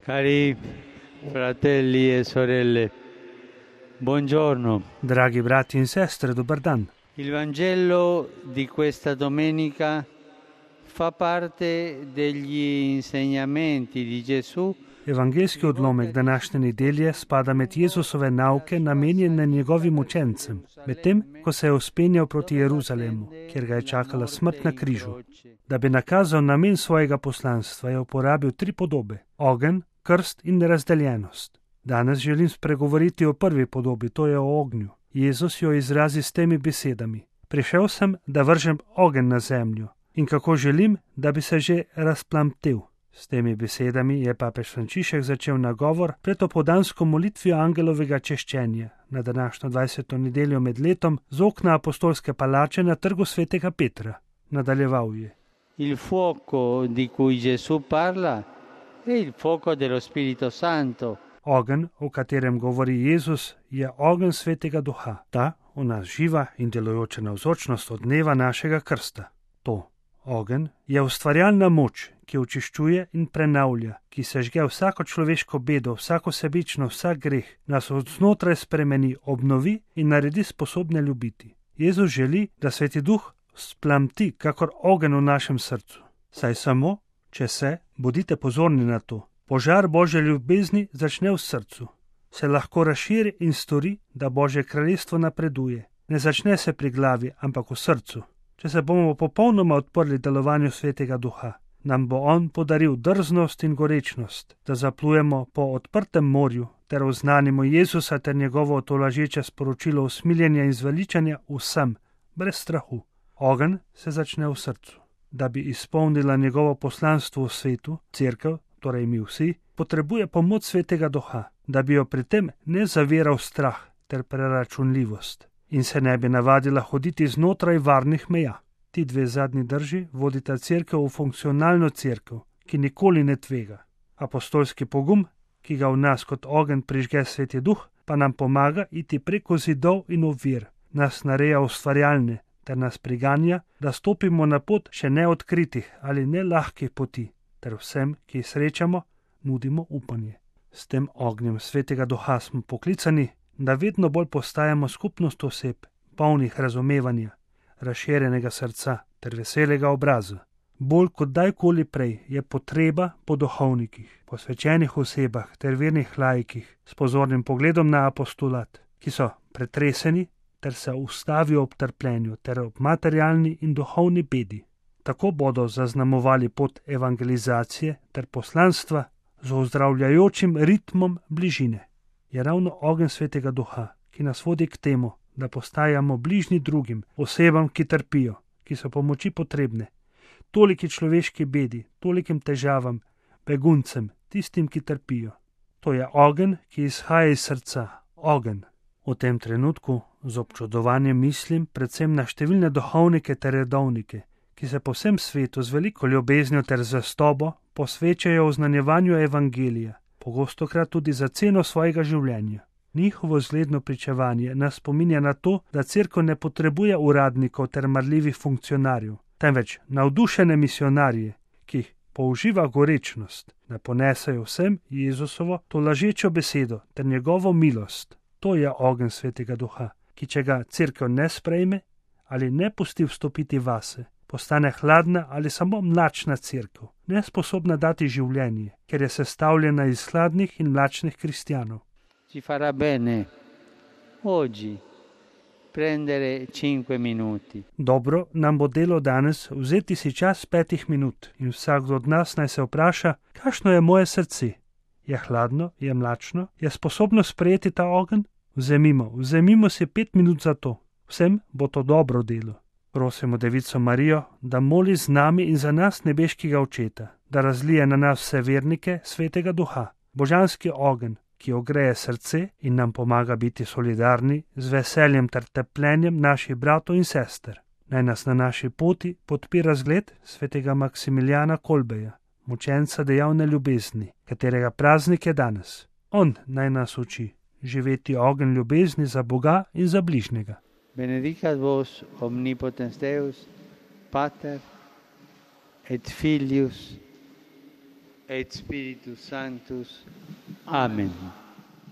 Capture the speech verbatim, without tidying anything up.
Cari fratelli e sorelle, buongiorno. Dragi brati in sestre, dobar dan. Il Vangelo di questa domenica fa parte degli insegnamenti di Gesù. Evangelski odlomek današnje nedelje spada med Jezusove nauke namenjene njegovim učencem, medtem ko se je vzpenjal proti Jeruzalemu, kjer ga je čakala smrt na križu. Da bi nakazal namen svojega poslanstva, je uporabil tri podobe: ogenj, krst in razdeljenost. Danes želim spregovoriti o prvi podobi, to je o ognju. Jezus jo izrazi s temi besedami: prišel sem, da vržem ogenj na zemljo, in kako želim, da bi se že razplamtel. S temi besedami je papež Frančišek začel nagovor pred opoldansko molitvijo angelovega češčenja na današnjo dvajseto nedeljo med letom z okna apostolske palače na trgu svetega Petra. Nadaljeval je: Il fuoco di cui Gesù parla è il fuoco dello Spirito Santo. Ogenj, o katerem govori Jezus, je ogenj svetega duha, ta v nas živa in delujoča navzočnost od dneva našega krsta. To, ogenj, je ustvarjalna moč, ki očiščuje in prenavlja, ki sežge vsako človeško bedo, vsako sebično, vsak greh, nas od znotraj spremeni, obnovi in naredi sposobne ljubiti. Jezus želi, da sveti duh splamti kakor ogenj v našem srcu. Saj samo, če se, bodite pozorni na to, požar Božje ljubezni začne v srcu, se lahko razširi in stori, da Božje kraljestvo napreduje. Ne začne se pri glavi, ampak v srcu. Če se bomo popolnoma odprli delovanju svetega duha, nam bo on podaril drznost in gorečnost, da zaplujemo po odprtem morju ter oznanimo Jezusa ter njegovo tolažeče sporočilo usmiljenja in zveličanja vsem, brez strahu. Ogenj se začne v srcu. Da bi izpolnila njegovo poslanstvo v svetu, cerkev, torej mi vsi, potrebuje pomoč svetega duha, da bi jo pri tem ne zaviral strah ter preračunljivost in se ne bi navadila hoditi znotraj varnih meja. Ti dve zadnji drži vodita cerkev v funkcionalno cerkev, ki nikoli ne tvega. Apostolski pogum, ki ga v nas kot ogenj prižge sveti duh, pa nam pomaga iti preko zidov in ovir, nas nareja ustvarjalne ter nas priganja, da stopimo na pot še neodkritih ali nelahkih poti, ter vsem, ki jih srečamo, nudimo upanje. S tem ognjem svetega duha smo poklicani, da vedno bolj postajamo skupnost oseb, polnih razumevanja, razširjenega srca ter veselega obraza. Bolj kot dajkoli prej je potreba po duhovnikih, posvečenih osebah ter vernih laikih s pozornim pogledom na apostolat, ki so pretreseni ter se ustavijo ob trpljenju ter ob materialni in duhovni bedi. Tako bodo zaznamovali pot evangelizacije ter poslanstva z ozdravljajočim ritmom bližine. Je ravno ogenj svetega duha, ki nas vodi k temu, da postajamo bližnji drugim, osebam, ki trpijo, ki so pomoči potrebne, toliki človeški bedi, tolikim težavam, beguncem, tistim, ki trpijo. To je ogenj, ki izhaja iz srca, ogenj. V tem trenutku z občudovanjem mislim predvsem na številne duhovnike ter redovnike, ki se po vsem svetu z veliko ljubeznijo ter zvestobo posvečajo oznanjevanju evangelija, pogostokrat tudi za ceno svojega življenja. Njihovo zgledno pričevanje nas spominja na to, da cerkev ne potrebuje uradnikov ter marljivih funkcionarjev, temveč navdušene misionarje, ki jih použiva gorečnost, da ponesajo vsem Jezusovo tolažečo besedo ter njegovo milost. To je ogenj svetega duha, ki če ga cerkev ne sprejme ali ne pusti vstopiti vase, postane hladna ali samo mlačna cerkev, nesposobna dati življenje, ker je sestavljena iz hladnih in mlačnih kristjanov. Ci farà bene oggi prendere cinque minuti. Dobro nam bo delo danes vzeti si čas petih minut in vsak od nas naj se vpraša, kakšno je moje srce. Je hladno, je mlačno, je sposobno sprejeti ta ogenj? Vzemimo, vzemimo si pet minut za to. Vsem bo to dobro delo. Prosimo Devico Marijo, da moli z nami in za nas nebeškega Očeta, da razlije na nas vse vernike svetega duha, božanski ogenj, ki ogreje srce in nam pomaga biti solidarni z veseljem ter trpljenjem naših bratov in sester. Naj nas na naši poti podpira zgled svetega Maksimilijana Kolbeja, mučenca dejavne ljubezni, katerega praznik je danes. On naj nas uči živeti ogenj ljubezni za Boga in za bližnjega. Benedicat vos omnipotens Deus, Pater et Filius et Spiritus Sanctus. Amen.